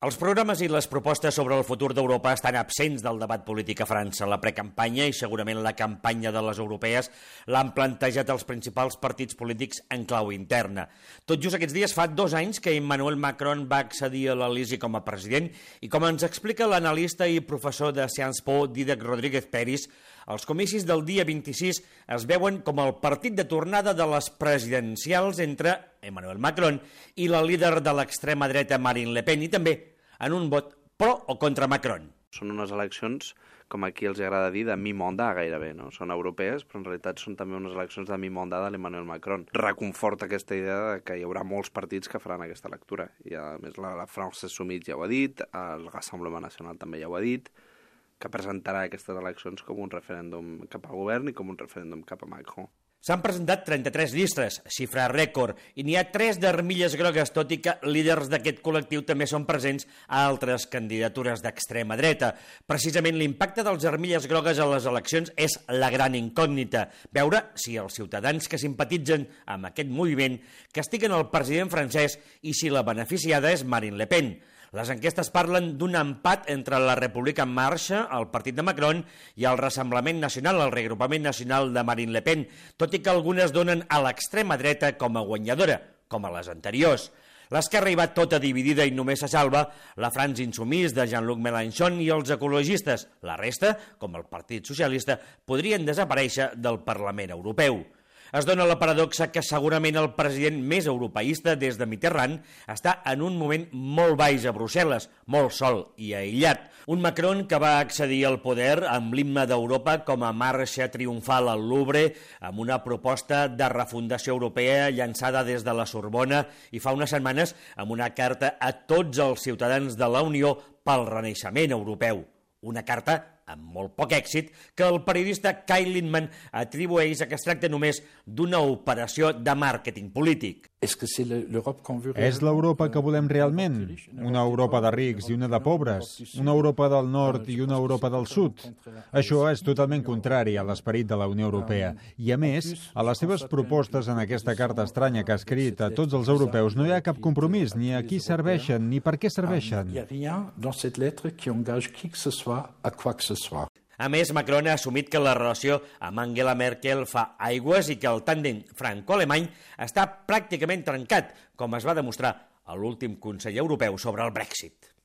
Els programes i les propostes sobre el futur d'Europa estan absents del debat polític a França. La precampanya i segurament la campanya de les europees l'han plantejat els principals partits polítics en clau interna. Tot just aquests dies fa 2 anys que Emmanuel Macron va accedir a l'Elisi com a president i, com ens explica l'analista i professor de Sciences Po Dídac Rodríguez Peris, els comicis del dia 26 es veuen com el partit de tornada de les presidencials entre Emmanuel Macron i la líder de l'extrema dreta Marine Le Pen, i també en un vot pro o contra Macron. Són unes eleccions, com aquí els agrada dir, de mi-mandat gairebé, no? Són europees, però en realitat són també unes eleccions de mi-mandat de l'Emmanuel Macron. Reconforta aquesta idea de que hi haurà molts partits que faran aquesta lectura. I a més la France Insoumise ja ho ha dit, el Rassemblement Nacional també ja ho ha dit, que presentarà aquestes eleccions com un referèndum cap al govern i com un referèndum cap a Macron. S'han presentat 33 llistes, xifra rècord, i n'hi ha 3 d'armilles grogues, tot i que líders d'aquest col·lectiu també són presents a altres candidatures d'extrema dreta. Precisament l'impacte dels armilles grogues a les eleccions és la gran incògnita. Veure si els ciutadans que simpatitzen amb aquest moviment castiguen el president francès i si la beneficiada és Marine Le Pen. Les enquestes parlen d'un empat entre la República en Marxa, el partit de Macron, i el Rassemblement Nacional, el reagrupament nacional de Marine Le Pen, tot i que algunes donen a l'extrema dreta com a guanyadora, com a les anteriors. L'esquerra hi va tota dividida i només se salva la France Insoumise de Jean-Luc Mélenchon i els ecologistes. La resta, com el Partit Socialista, podrien desaparèixer del Parlament Europeu. Es dona la paradoxa que segurament el president més europeista des de Mitterrand està en un moment molt baix a Brussel·les, molt sol i aïllat. Un Macron que va accedir al poder amb l'himne d'Europa com a marxa triomfal al Louvre, amb una proposta de refundació europea llançada des de la Sorbona i fa unes setmanes amb una carta a tots els ciutadans de la Unió pel renaixement europeu. Una carta amb molt poc èxit que el periodista Kyle Lindman atribueix a que es tracta només d'una operació de màrqueting polític. És l'Europa que volem realment? Una Europa de rics i una de pobres? Una Europa del nord i una Europa del sud? Això és totalment contrari a l'esperit de la Unió Europea. I a més, a les seves propostes en aquesta carta estranya que ha escrit a tots els europeus no hi ha cap compromís, ni a qui serveixen, ni per què serveixen. A més, Macron ha assumit que la relació amb Angela Merkel fa aigües i que el tàndem franco-alemany està pràcticament trencat, com es va demostrar a l'últim Consell Europeu sobre el Brexit.